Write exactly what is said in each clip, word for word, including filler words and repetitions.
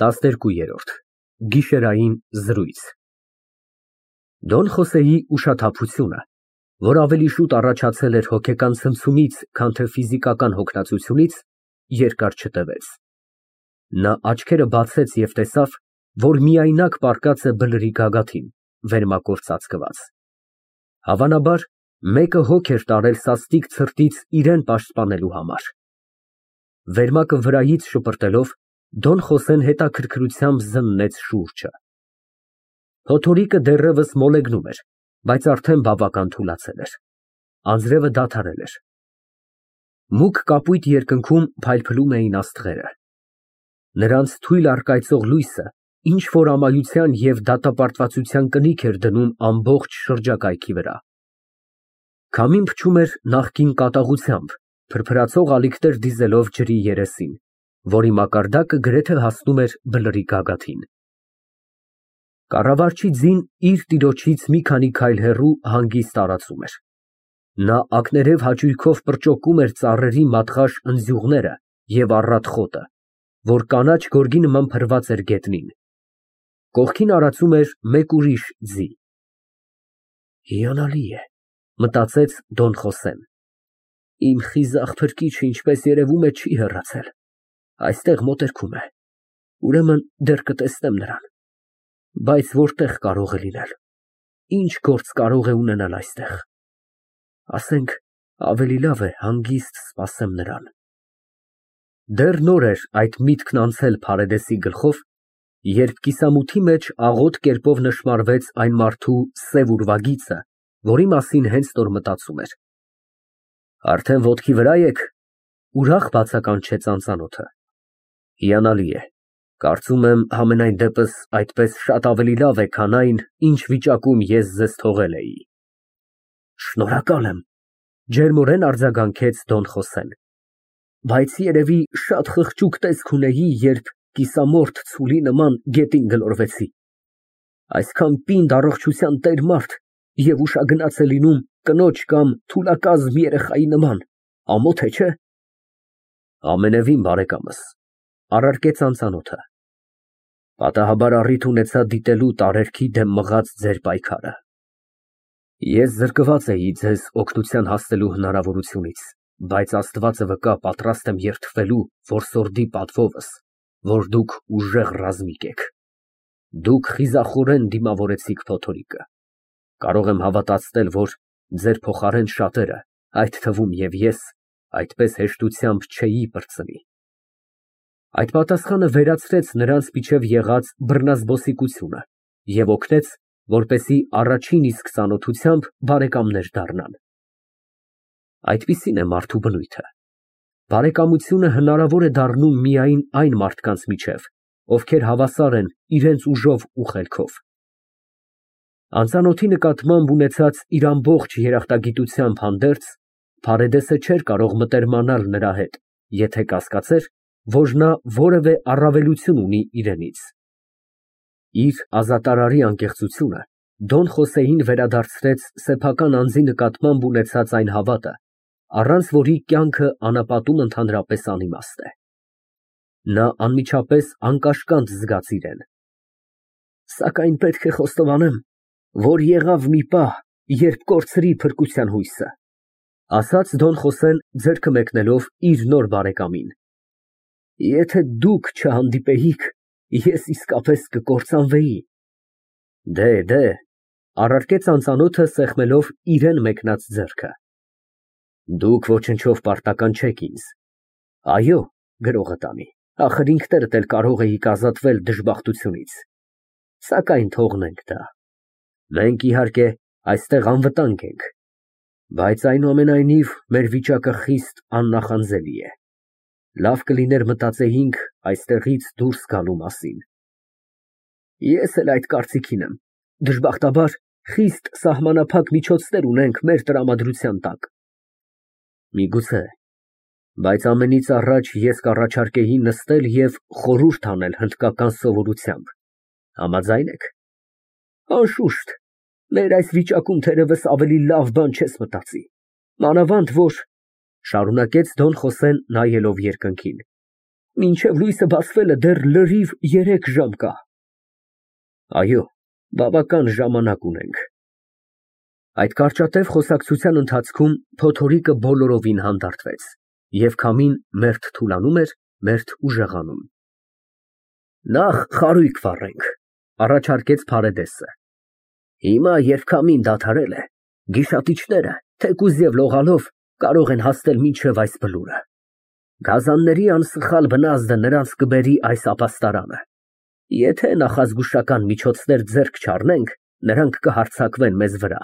տասներկուերորդ Գիշերային զրույց Դոն Խոսեի ուշաթափությունը, որ ավելի շուտ առաջացել էր հոգեկան ցնցումից, քան թե ֆիզիկական հոգնածությունից, երկար չտևեց։ Նա աչքերը բացեց և տեսավ, որ միայնակ պառկած է բլրի գագաթին, վերմակով ծածկված։ Հավանաբար, մեկը հոգ էր տարել սաստիկ ցրտից իրան պաշտպանելու համար։ Վերմակը վրայից շպրտելով, Դոն Խոսեն հետաքրքրությամբ զննեց շուրջը։ Փոթորիկը դեռևս մոլեգնում էր, բայց արդեն բավական թուլացել էր։ Անձրևը դադարել էր։ Մուգ կապույտ երկնքում փայլփլում էին աստղերը։ Նրանց թույլ առկայծող լույսը ինչ֊որ ամայության և դատապարտվածության կնիք էր դնում ամբողջ շրջակայքի վրա։ Քամին փչում էր նախկին կատաղությամբ, փրփրացող ալիքներ դիզելով ջրի երեսին, որի մակարդակը գրեթե հասնում էր բլրի գագաթին։ Կառավարչի ձին իր տիրոջից մի քանի քայլ հեռու հանգիստ տարածում էր։ Նա ակներև հաճույքով պրճոկում էր ծառերի մատղաշ ընձյուղները և առատ խոտը, որ կանաչ գորգի նման փռված էր գետնին։ Կողքին արածում էր մեկ ուրիշ ձի։ Հիանալի է, մտածեց Դոն Խոսեն։ Իմ խիզախ փրկիչը, ինչպես երևում է, չի հեռացել, այստեղ մոտերքում է, ուրեմն դեռ կտեսնեմ նրան։ Բայց որտեղ կարող է լինել, ինչ գործ կարող է ունենալ այստեղ։ Ասենք, ավելի լավ է հանգիստ սպասեմ նրան։ Դեռ նոր էր այդ միտքն անցել Փարեդեսի գլխով, երբ կիսամութի մեջ աղոտ կերպով նշմարվեց այն մարդու սև ուրվագիծը, որի մասին հենց նոր մտածում էր։ Արդեն ոտքի վրա եք, ուրախ բացականչեց անծանոթը։ Հիանալի է, կարծում եմ համենայն դեպս այդպես շատ ավելի լավ է, քան այն, ինչ վիճակում ես ձեզ թողել էի։ Շնորհակալ եմ, ջերմորեն արձագանքեց Դոն Խոսեն, բայց երևի շատ խղճուկ տեսք ունեի, երբ կիսամորթ ցուլի նման գետին գլորվեցի։ Այսքան պինդ առողջության տեր մարդ և ուշագնաց է լինում կնոջ կամ թուլակազմ երեխայի նման, ամոթ է, չէ՞։ Ամենևին, բարեկամս, առարկեց անծանոթը։ Պատահաբար առիթ ունեցա դիտելու տարերքի դեմ մղած ձեր պայքարը։ Ես զրկված էի ձեզ օգնության հասնելու հնարավորությունից, բայց Աստվածը վկա, պատրաստ եմ երդվելու որսորդի պատվովս, որ դուք ուժեղ ռազմիկ եք։ Դուք խիզախորեն դիմավորեցիք փոթորիկը։ Կարող եմ հավատացնել, որ ձեր փոխարեն շատերը, այդ թվում և ես, այդպես հեշտությամբ չէի պրծնի։ Այդ պատասխանը վերացրեց նրանց միջև եղած բռնազբոսիկությունը և օգնեց, որպեսզի առաջին իսկ ծանոթությամբ բարեկամներ դառնան։ Այդպիսին է մարդու բնույթը։ Բարեկամությունը հնարավոր է դառնում միայն այն մարդկանց միջև, ովքեր հավասար են իրենց ուժով ու խելքով։ Անծանոթի նկատմամբ ունեցած իր ամբողջ երախտագիտությամբ հանդերձ, Փարեդեսը չէր կարող մտերմանալ նրա հետ, եթե կասկածեր, որ նա որևէ առավելություն ունի իրենից։ Իր ազատարարի անկեղծությունը Դոն Խոսեին վերադարձրեց սեփական անձի նկատմամբ ունեցած այն հավատը, առանց որի կյանքը անապատում ընդհանրապես անիմաստ է։ Նա անմիջապես անկաշկանդ զգաց իրեն։ Սակայն պետք է խոստովանեմ, որ եղավ մի պահ, երբ կորցրի փրկության հույսը, ասաց Դոն Խոսեն ձեռքը մեկնելով իր նոր բարեկամին։ Եթե դուք չհանդիպեիք, ես իսկապես կկործանվեի։ Դե, դե, առարկեց անծանոթը սեղմելով իրան մեկնած ձեռքը։ Դուք ոչնչով պարտական չեք ինձ։ Այո, գրողը տանի, ախր ինքներդ էլ կարող էիք ազատվել դժբախտությունից։ Սակայն թողնենք դա։ Մենք, իհարկե, այստեղ անվտանգ ենք, բայց այնուամենայնիվ մեր վիճակը խիստ աննախանձելի է։ Լավ կլիներ մտածեինք այստեղից դուրս գալու մասին։ Ես էլ այդ կարծիքին եմ, դժբախտաբար, խիստ սահմանափակ միջոցներ ունենք մեր տրամադրության տակ։ Միգուցե, բայց ամենից առաջ ես կառաջարկեի նստել և խորհուրդ անել հնդկական սովորությամբ։ Համաձա՞յն եք։ Անշուշտ, մեր այս վիճակում թերևս ավելի լավ բան չես մտածի, մանավանդ որ, շարունակեց Դոն Խոսեն նայելով երկնքին, Մինչև լույսը բացվելը դեռ լրիվ երեք ժամ կա։ Այո, բավական ժամանակ ունենք։ Այդ կարճատև խոսակցության ընթացքում փոթորիկը բոլորովին հանդարտվեց, և քամին մերթ թուլանում էր, մերթ ուժեղանում։ Նախ խարույկ վառենք, առաջարկեց Փարեդեսը։ Հիմա, երբ քամին դադարել է, գիշատիչները, թեկուզ և լողալով, կարող են հասնել մինչև այս բլուրը։ Գազանների անսխալ բնազդը նրանց կբերի այս ապաստարանը։ Եթե նախազգուշական միջոցներ ձեռք չառնենք, նրանք կհարձակվեն մեզ վրա։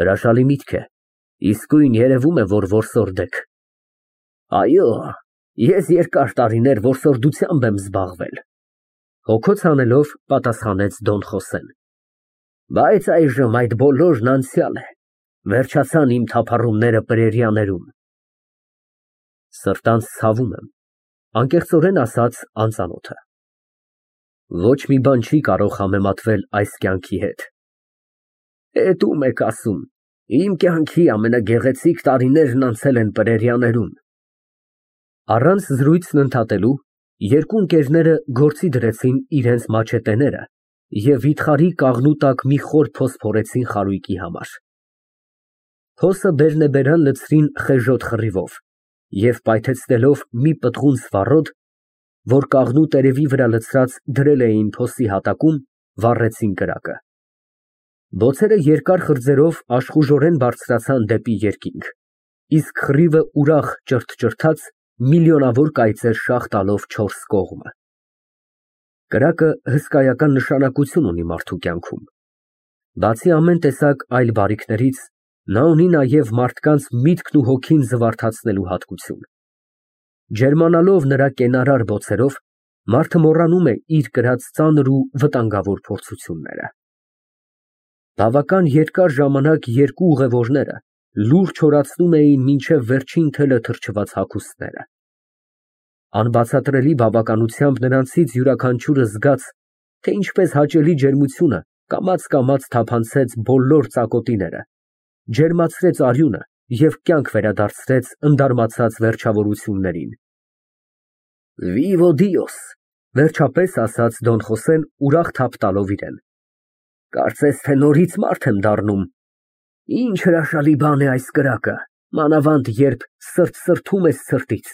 Հրաշալի միտք է, իսկույն երևում է, որ որսորդեք։ Այո, ես երկար տարիներ որսորդությամբ եմ զբաղվել, հոգոց հանելով պատասխանեց Դոն Խոսեն։ Բայց այժմ այդ բոլորն անցյալ է, վերջացան իմ թափառումները պրերիաներում։ Սրտանց ցավում եմ, անկեղծորեն ասաց անծանոթը։ Ոչ մի բան չի կարող համեմատվել այս կյանքի հետ։ Էդ ում եք ասում, իմ կյանքի ամենագեղեցիկ տարիներն անցել են պրերիաներում։ Առանց զրույցն ընդհատելու, երկու ընկերները գործի դրեցին իրենց մաչետեները և վիթխարի կաղնու տակ մի խոր փոս փորեցին խարույկի համար։ Փոսը բերնեբերան լցրին խեժոտ խռիվով և պայթեցնելով մի պտղուն սվառոտ, որ կաղնու տերևի վրա լցրած դրել էին փոսի հատակում, վառեցին կրակը։ Բոցերը երկար խրձերով աշխուժորեն բարձրացան դեպի երկինք, իսկ խռիվը ուրախ ճրթ֊ճրթաց միլիոնավոր կայծեր շաղ տալով չորս կողմը։ Կրակը հսկայական նշանակություն ունի մարդու կյանքում։ Բացի ամեն տեսակ այլ բարիքներից, նա ունի նաև մարդկանց միտքն ու հոգին զվարթացնելու հատկություն։ Ջերմանալով նրա կենարար բոցերով, մարդը մոռանում է իր կրած ծանր ու վտանգավոր փորձությունները։ Բավական երկար ժամանակ երկու ուղևորները լուրջ չորացնում էին մինչև վերջին թելը թրջված հագուստները։ Անբացատրելի բավականությամբ նրանցից յուրաքանչյուրը զգաց, թե ինչպես հաճելի ջերմությունը կամաց֊կամաց թափանցեց բոլոր ծակոտիները, ջերմացրեց արյունը և կյանք վերադարձրեց ընդարմացած վերջավորություններին։ Վիվո Դիոս, վերջապես ասաց Դոն Խոսեն ուրախ թափ տալով իրեն։ Կարծես թե նորից մարդ եմ դառնում։ Ինչ հրաշալի բան է այս կրակը, մանավանդ երբ սրտ֊սրտում ես սրտից։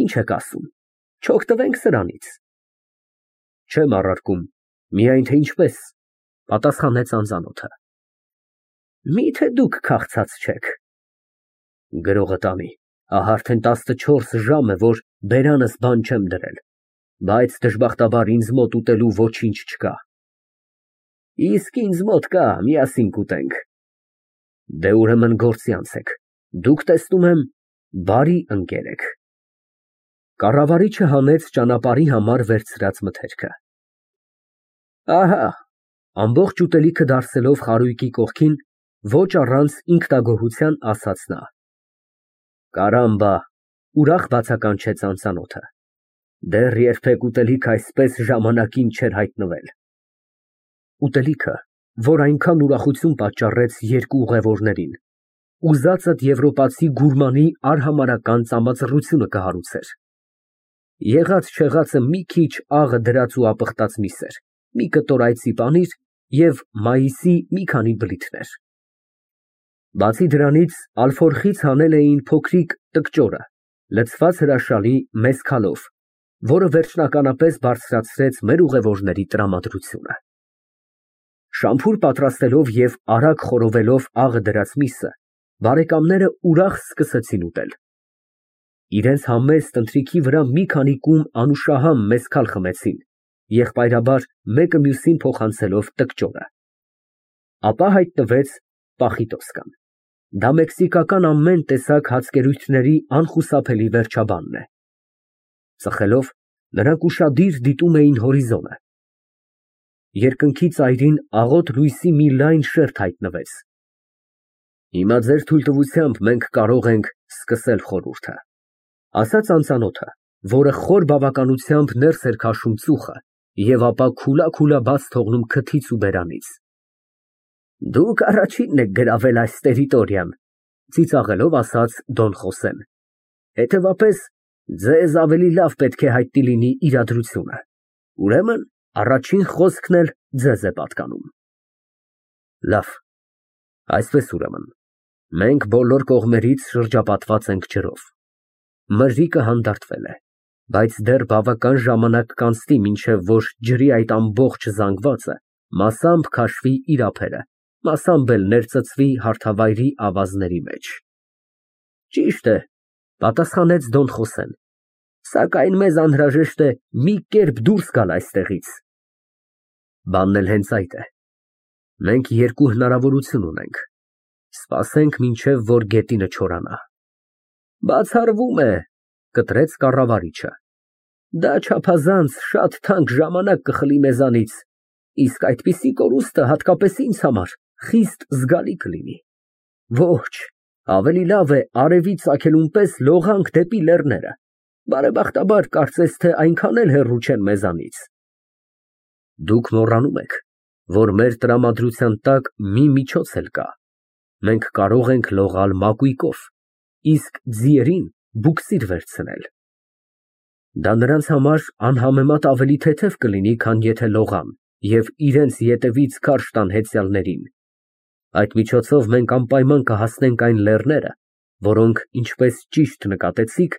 Ինչ եք ասում, չօգտվենք սրանից։ Չեմ առարկում, միայն թե ինչպես, պատասխանեց անծանոթը։ Միթե դուք քաղցած չեք։ Գրողը տանի, ահա արդեն տասնչորս ժամ է, որ բերանս բան չեմ դրել, բայց դժբախտաբար ինձ մոտ ուտելու ոչինչ չկա։ Իսկ ինձ մոտ կա, միասին կուտենք։ Դե ուրեմն գործի անցեք, դուք տեսնում եմ, բարի ընկեր եք։ Կառավարիչը հանեց ճանապարհի համար վերցրած մթերքը։ Ահա, ամբողջ ուտելիքը դարսելով խարույկի կողքին, ոչ առանց ինքնագոհության ասաց նա։ Կարամբա, ուրախ բացականչեց անծանոթը։ Դեռ երբեք ուտելիք այսպես ժամանակին չէր հայտնվել։ Ուտելիքը, որ այնքան ուրախություն պատճառեց երկու ուղևորներին, ուզածդ եվրոպացի գուրմանի արհամարհական ծամածռությունը կհարուցեր։ Եղած չեղածը մի քիչ աղը դրած ու ապխտած միսեր, մի կտոր այծի պանիր և մայիսի մի քանի բլիթներ։ Բացի դրանից ալֆորխից հանել էին փոքրիկ տկճորը, լցված հրաշալի մեծ քալով, որը վերջնականապես բարձրացրեց մեր ուղևորների տրամադրությունը։ Շամփուր պատրաստելով և արագ խորովելով աղը դրած միսը, բարեկամները ուրախ սկսեցին ուտել։ Իրենց համեստ ընթրիքի վրա մի քանի կում անուշահամ մեզքալ խմեցին, եղբայրաբար մեկը մյուսին փոխանցելով տկճորը։ Ապա հայտնվեց պախիտոսկան։ Դա մեքսիկական ամեն տեսակ հացկերույթների անխուսափելի վերջաբանն է։ Ծխելով, նրանք ուշադիր դիտում էին հորիզոնը։ Երկնքի ծայրին աղոտ լույսի մի լայն շերտ հայտնվեց։ Հիմա ձեր թույլտվությամբ մենք կարող ենք սկսել խորհուրդը, ասաց անծանոթը, որը խոր բավականությամբ ներս էր քաշում ծուխը և ապա քուլա֊քուլա բաց թողնում քթից ու բերանից։ Դուք առաջինն եք գրավել այս տերիտորիան, ծիծաղելով ասաց Դոն Խոսեն։ Հետևաբար, Ձեզ ավելի լավ պետք է հայտնի լինի իրադրությունը, ուրեմն առաջին խոսքն էլ ձեզ է պատկանում։ Լավ, այսպես ուրեմն, մենք բոլոր կողմերից շրջապատված ենք ջրով։ Մրրիկը հանդարտվել է, բայց դեռ բավական ժամանակ կանցնի, մինչև որ ջրի այդ ամբողջ զանգվածը մասամբ քաշվի իր ափերը, մասամբ էլ ներծծվի հարթավայրի ավազների մեջ։ Ճիշտ է, պատասխանեց Դոն Խոսեն, սակայն մեզ անհրաժեշտ է մի կերպ դուրս գալ այստեղից։ Բանն էլ հենց այդ է։ Մենք երկու հնարավորություն ունենք. սպասենք մինչև որ գետինը չորանա։ Բացառվում է, կտրեց կառավարիչը։ Դա չափազանց շատ թանկ ժամանակ կխլի մեզանից, իսկ այդպիսի կորուստը հատկապես ինձ համար խիստ զգալի կլինի։ Ոչ, ավելի լավ է արևի ծագելուն պես լողանք դեպի լեռները, բարեբախտաբար կարծես թե այնքան էլ հեռու չեն մեզանից։ Դուք մոռանում եք, որ մեր տրամադրության տակ մի միջոց էլ կա, մենք կարող ենք լողալ մակույկով, իսկ ձիերին բուքսիր վերցնել։ Դա նրանց համար անհամեմատ ավելի թեթև կլինի, քան եթե լողան և իրենց ետևից քարշ տան հեծյալներին։ Այդ միջոցով մենք անպայման կհասնենք այն լեռները, որոնք, ինչպես ճիշտ նկատեցիք,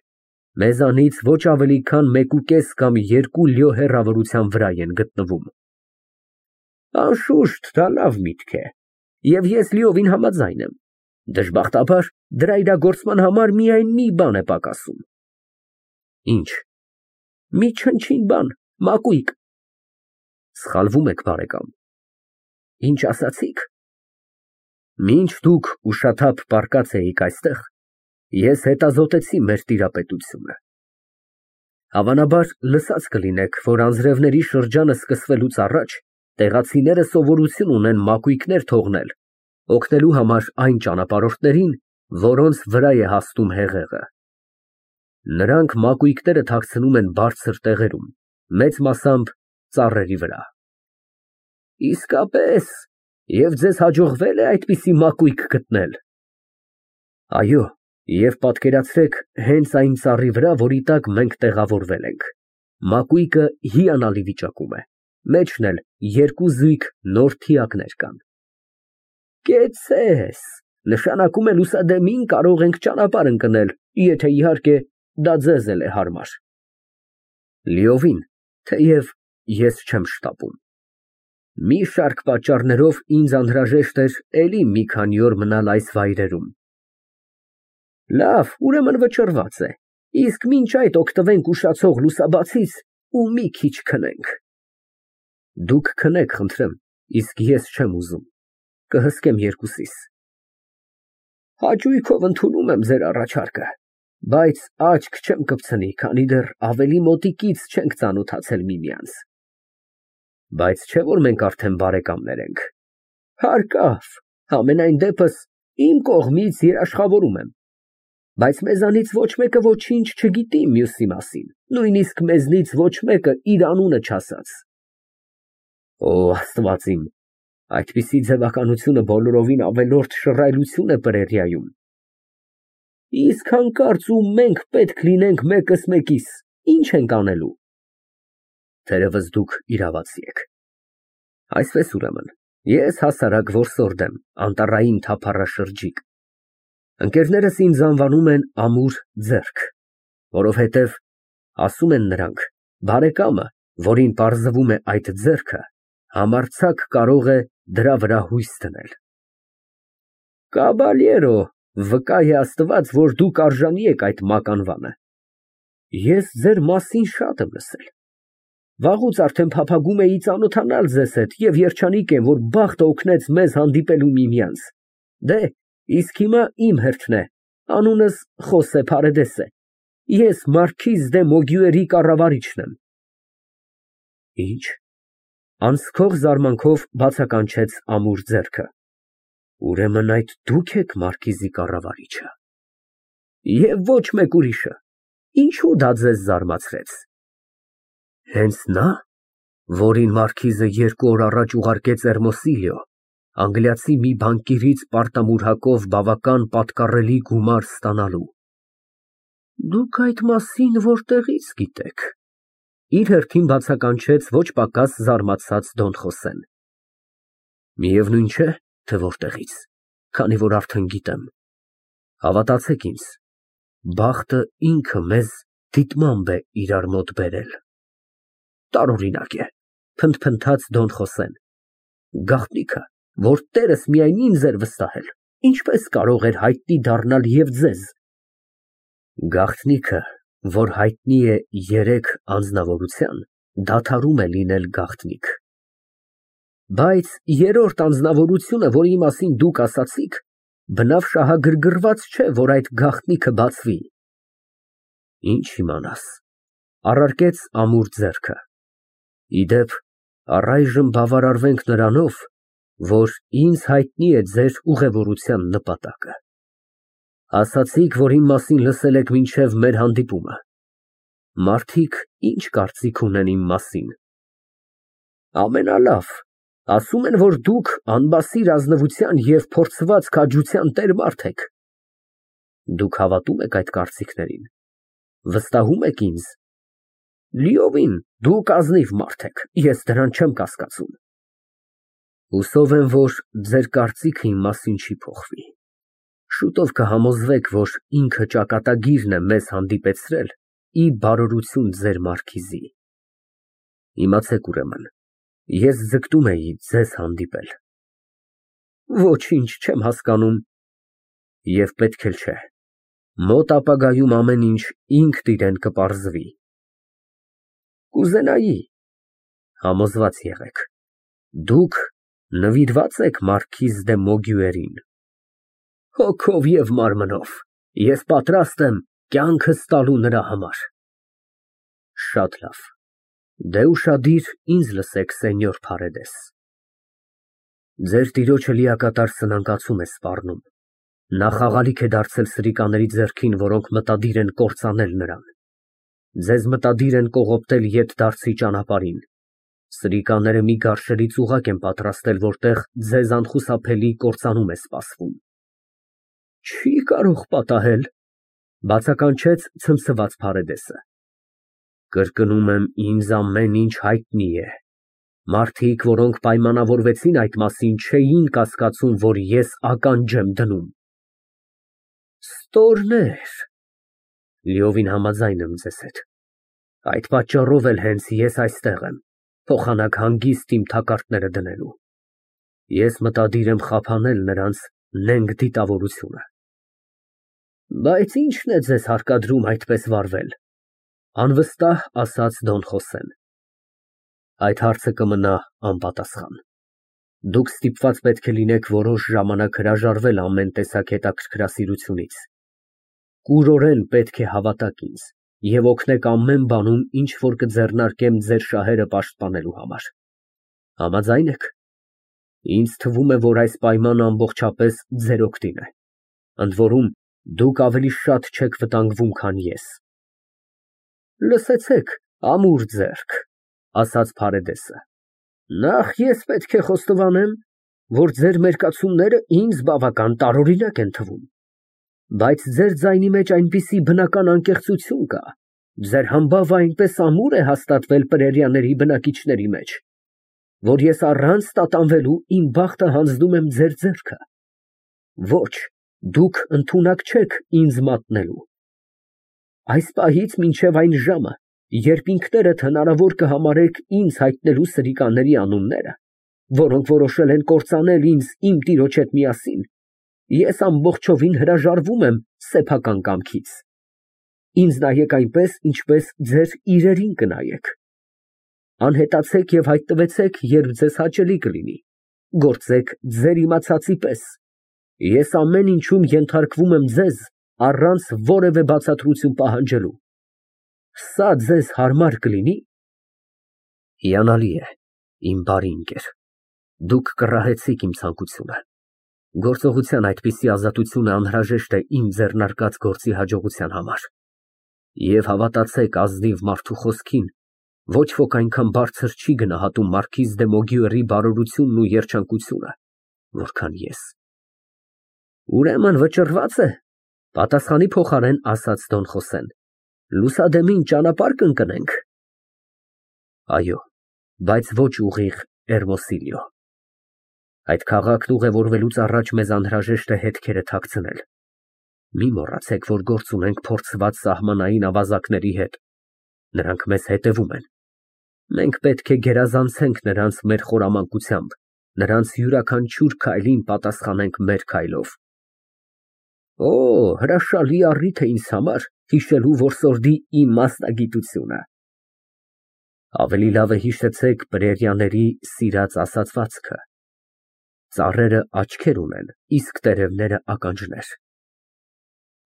մեզանից ոչ ավելի քան մեկուկես կամ երկու լյո հեռավորության վրա են գտնվում։ Անշուշտ, դա լավ միտք է, և ես լիովին համաձայն եմ։ Դժբախտաբար, դրա իրագործման համար միայն մի բան է պակասում։ Ինչ։ Մի չնչին բան, մակույկ։ Սխալվում եք, բարեկամ։ Ինչ ասացիք։ Մինչ դուք ուշաթափ պառկած էիք այստեղ, ես հետազոտեցի մեր տիրապետությունը։ Հավանաբար լսած կլինեք, որ անձրևների շրջանը սկսվելուց առաջ տեղացիները սովորություն ունեն մակույկներ թողնել, օգնելու համար այն ճանապարհորդներին, որոնց վրա է հասնում հեղեղը։ Նրանք մակույկները թաքցնում են բարձր տեղերում, մեծ մասամբ ծառերի վրա։ Իսկապես, և ձեզ հաջողվե՞լ է այդպիսի մակույկ գտնել։ Այո, և պատկերացրեք հենց այն ծառի վրա, որի տակ մենք տեղավորվել ենք։ Մակույկը հիանալի վիճակում է, մեջն էլ երկու զույգ նոր թիակներ կան։ Կեցցես, նշանակում է լուսադեմին կարող ենք ճանապարհ ընկնել, եթե իհարկե դա ձեզ էլ է հարմար։ Լիովին, թեև ես չեմ շտապում։ Մի շարք պատճառներով ինձ անհրաժեշտ էր էլի մի քանի օր մնալ այս վայրերում։ Լավ, ուրեմն վճռված է, իսկ մինչ այդ օգտվենք ուշացող լուսաբացից ու մի քիչ քնենք։ Դուք քնեք, խնդրեմ, իսկ ես չեմ ուզում, կհսկեմ երկուսիս։ Հաճույքով ընդունում եմ ձեր առաջարկը, բայց աչք չեմ կպցնի, քանի դեռ ավելի մոտիկից չենք ծանոթացել միմյանց։ Բայց չէ՞ որ մենք արդեն բարեկամներ ենք։ Հարկավ, համենայն դեպս իմ կողմից երաշխավորում եմ։ Բայց մեզանից ոչ մեկը ոչինչ չգիտի մյուսի մասին, նույնիսկ մեզնից ոչ մեկը իր անունը չասած։ Օ, Աստված իմ, այդպիսի ձևականությունը բոլորովին ավելորդ շռայլություն է Պրերիայում։ Իսկ հանկարծ ու մենք պետք լինենք մեկս մեկիս, ինչ ենք անելու։ Թերևս դուք իրավացի եք։ Այսպես ուրեմն, ես հասարակ որսորդ եմ, անտառային թափառաշրջիկ։ Ընկերներս ինձ անվանում են ամուր ձեռք, որովհետև, ասում են նրանք, բարեկամը, որին պարզվում է այդ ձեռքը, համարձակ կարող է դրա վրա հույս դնել։ Կաբալյերո, վկա է Աստված, որ դուք արժանի եք այդ մականվանը։ Ես ձեր մասին շատ եմ լսել։ Վաղուց արդեն փափագում էի ծանոթանալ ձեզ հետ և երջանիկ եմ, որ բախտը օգնեց մեզ հանդիպելու միմյանց։ Դե, իսկ հիմա իմ հերթն է, անունս Խոսե Փարեդես է, ես մարքիզ դե Մոգյուերի կառավարիչն եմ։ Ինչ։ Անցքող զարմանքով բացականչեց ամուր ձեռքը։ Ուրեմն այդ դուք եք մարքիզի կառավարիչը։ Եվ ոչ մեկ ուրիշը։ Ինչու դա ձեզ զարմացրեց։ Հենց նա, որին մարքիզը երկու օր առաջ ուղարկեց Էրմոսիլիո, անգլիացի մի բանկիրից պարտամուրհակով բավական պատկառելի գումար ստանալու։ Դուք այդ մասին որտեղից գիտեք։ Իր հերթին բացականչեց ոչ պակաս զարմացած Դոն Խոսեն։ Միևնույն չէ, թե որտեղից, քանի որ արդեն գիտեմ։ Հավատացեք ինձ, բախտը ինքը մեզ դիտմամբ է իրար մոտ բերել։ Տարօրինակ է, փնթփնթաց Դոն Խոսեն։ Գաղտնիքը, որ տերս միայն ինձ էր վստահել, ինչպես կարող էր հայտնի դառնալ և ձեզ։ Գաղտնիքը, որ հայտնի է երեք անձնավորության, դադարում է լինել գաղտնիք։ Բայց երրորդ անձնավորությունը, որի մասին դուք ասացիք, բնավ շահագրգռված չէ, որ այդ գաղտնիքը բացվի։ Ինչ իմանաս, առարկեց ամուր ձեռքը։ Ի դեպ, առայժմ բավարարվենք նրանով, որ ինձ հայտնի է ձեր ուղևորության նպատակը։ Ասացիք, որ իմ մասին լսել եք մինչև մեր հանդիպումը։ Մարդիկ ինչ կարծիք ունեն իմ մասին։ Ամենալավ, ասում են, որ դուք անբասիր ազնվության և փորձված քաջության տեր մարդ եք։ Դուք հավատում եք այդ կարծիքներին, վստահում եք ինձ։ Լիովին, դուք ազնիվ մարդ եք, ես դրան չեմ կասկածում։ Հուսով եմ, որ ձեր կարծիքը իմ մասին չի փոխվի։ Շուտով կհամոզվեք, որ ինքը ճակատագիրն է մեզ հանդիպեցրել ի բարօրություն ձեր մարքիզի։ Իմացեք ուրեմն, ես ձգտում էի ձեզ հանդիպել։ Ոչինչ չեմ հասկանում։ Եվ պետք էլ չէ։ Մոտ ապագայում ամեն ինչ ինքն իրեն կպարզվի։ Կուզենայի, համոզված եղեք, դուք նվիրված եք մարքիզ դե Մոգյուերին։ Հոգով և մարմնով, ես պատրաստ եմ կյանքս տալու նրա համար։ Շատ լավ, դե ուշադիր ինձ լսեք, սենյոր Փարեդես։ Ձեր տիրոջը լիակատար սնանկացում է սպառնում։ Նա խաղալիք է դարձել սրիկաների ձեռքին, որոնք մտադիր են կործանել նրան։ Ձեզ մտադիր են կողոպտել ետդարձի ճանապարհին։ Սրիկաները մի գարշելի ծուղակ են պատրաստել, որտեղ ձեզ անխուսափելի կործանում է սպասվում։ Չի կարող պատահել, բացականչեց ցնցված Փարեդեսը։ Կրկնում եմ, ինձ ամեն ինչ հայտնի է։ Մարդիկ, որոնք պայմանավորվեցին այդ մասին, չէին կասկածում, որ ես ականջ եմ դնում։ Ստորներ, լիովին համաձայն եմ ձեզ հետ։ Այդ պատճառով էլ հենց ես այստեղ եմ, փոխանակ հանգիստ իմ թակարդները դնելու։ Ես մտադիր եմ խափանել նրանց նենգ դիտավորությունը։ Բայց ի՞նչն է ձեզ հարկադրում այդպես վարվել, անվստահ ասաց Դոն Խոսեն։ Այդ հարցը կմնա անպատասխան։ Դուք ստիպված պետք է լինեք որոշ ժամանակ հրաժարվել ամեն տեսակ հետաքրքրասիրությունից։ Կուրորեն պետք է հավատաք ինձ և օգնեք ամեն բանում, ինչ որ կձեռնարկեմ ձեր շահերը պաշտպանելու համար։ Համաձայն եք։ Ինձ թվում է, որ այս պայմանը ամբողջապես ձեր օգտին է։ Ընդ որում, դուք ավելի շատ չեք վտանգվում, քան ես։ Լսեցեք, ամուր ձեռք, ասաց Փարեդեսը։ Նախ ես պետք է խոստովանեմ, որ ձեր մերկացումները ինձ բավական տարօրինակ են թվում։ Բայց ձեր ձայնի մեջ այնպիսի բնական անկեղծություն կա, ձեր համբավը այնպես ամուր է հաստատվել պրերիաների բնակիչների մեջ, որ ես առանց տատանվելու իմ բախտը հանձնում եմ ձեր ձեռքը։ Ոչ, դուք ընդունակ չեք ինձ մատնելու։ Այս պահից մինչև այն ժամը, երբ ինքներդ հնարավոր կհամարեք ինձ հայտնելու սրիկաների անունները, որոնք որոշել են կործանել ինձ իմ տիրոջ հետ միասին, ես ամբողջովին հրաժարվում եմ սեփական կամքից։ Ինձ նայեք այնպես, ինչպես ձեր իրերին կնայեք։ Անհետացեք և հայտնվեցեք, երբ ձեզ հաճելի կլինի։ Գործեք ձեր իմացածի պես։ Ես ամեն ինչում ենթարկվում եմ ձեզ, առանց որևէ բացատրություն պահանջելու։ Սա ձեզ հարմար կլինի։ Հիանալի է, իմ բարի ընկեր, դուք կռահեցիք իմ ցանկությունը։ Գործողության այդպիսի ազատությունը անհրաժեշտ է իմ ձեռնարկած գործի հաջողության համար։ Եվ հավատացեք ազնիվ մարդու խոսքին, ոչ ոք այնքան բարձր չի գնահատում մարքիզ դե Մոգյուերի բարօրությունն ու երջանկությունը, որքան ես։ Ուրեմն վճռված է, Պատասխանի փոխարեն ասաց Դոն Խոսեն. Լուսադեմին ճանապարհ կընկնենք։ Այո, բայց ոչ ուղիղ Էրմոսիլիո։ Այդ քաղաքն ուղևորվելուց առաջ մեզ անհրաժեշտ է հետքերը թաքցնել։ Մի մոռացեք, որ գործ ունենք փորձված սահմանային ավազակների հետ։ Նրանք մեզ հետևում են։ Մենք պետք է գերազանցենք նրանց մեր խորամանկությամբ, նրանց յուրաքանչյուր քայլին պատասխանենք մեր քայլով։ Օ, հրաշալի առիթ է ինձ համար հիշելու որսորդի իմ մասնագիտությունը։ Ավելի լավ է հիշեցեք պրերիաների սիրած ասացվածքը. ծառերը աչքեր ունեն, իսկ տերևները ականջներ։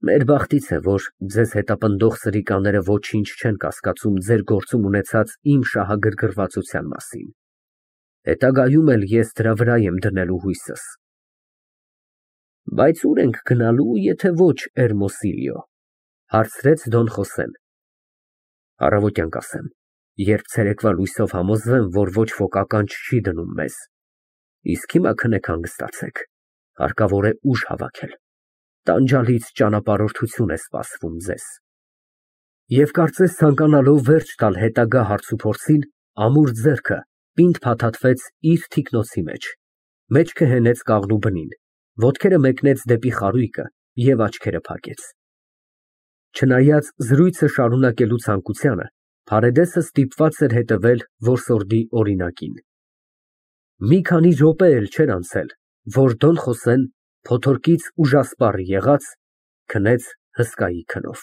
Մեր բախտից է, որ ձեզ հետապնդող սրիկաները ոչինչ չեն կասկածում ձեր գործում ունեցած իմ շահագրգռվածության մասին։ Հետագայում էլ ես դրա վրա եմ դնելու հույսս։ Բայց ուր ենք գնալու, եթե ոչ Էրմոսիլիո, հարցրեց Դոն Խոսեն։ Առավոտյան կասեմ, երբ ցերեկվա լույսով համոզվեմ, որ ոչ ոք ականջ չի դնում մեզ, իսկ հիմա քնեք հանգստացեք, հարկավոր է ուժ հավաքել, տանջալից ճանապարհորդություն է սպասվում ձեզ։ Եվ կարծես ցանկանալով վերջ տալ հետագա հարցուփորձին, ամուր ձեռքը պինդ փաթաթվեց իր թիկնոցի մեջ, մեջքը հենեց կաղնու բնին, ոտքերը մեկնեց դեպի խարույկը և աչքերը փակեց։ Չնայած զրույցը շարունակելու ցանկությանը, Փարեդեսը ստիպված էր հետևել որսորդի օրինակին։ Մի քանի րոպե էլ չէր անցել, որ Դոն Խոսեն, փոթորկից ուժասպառ եղած, քնեց հսկայի քնով։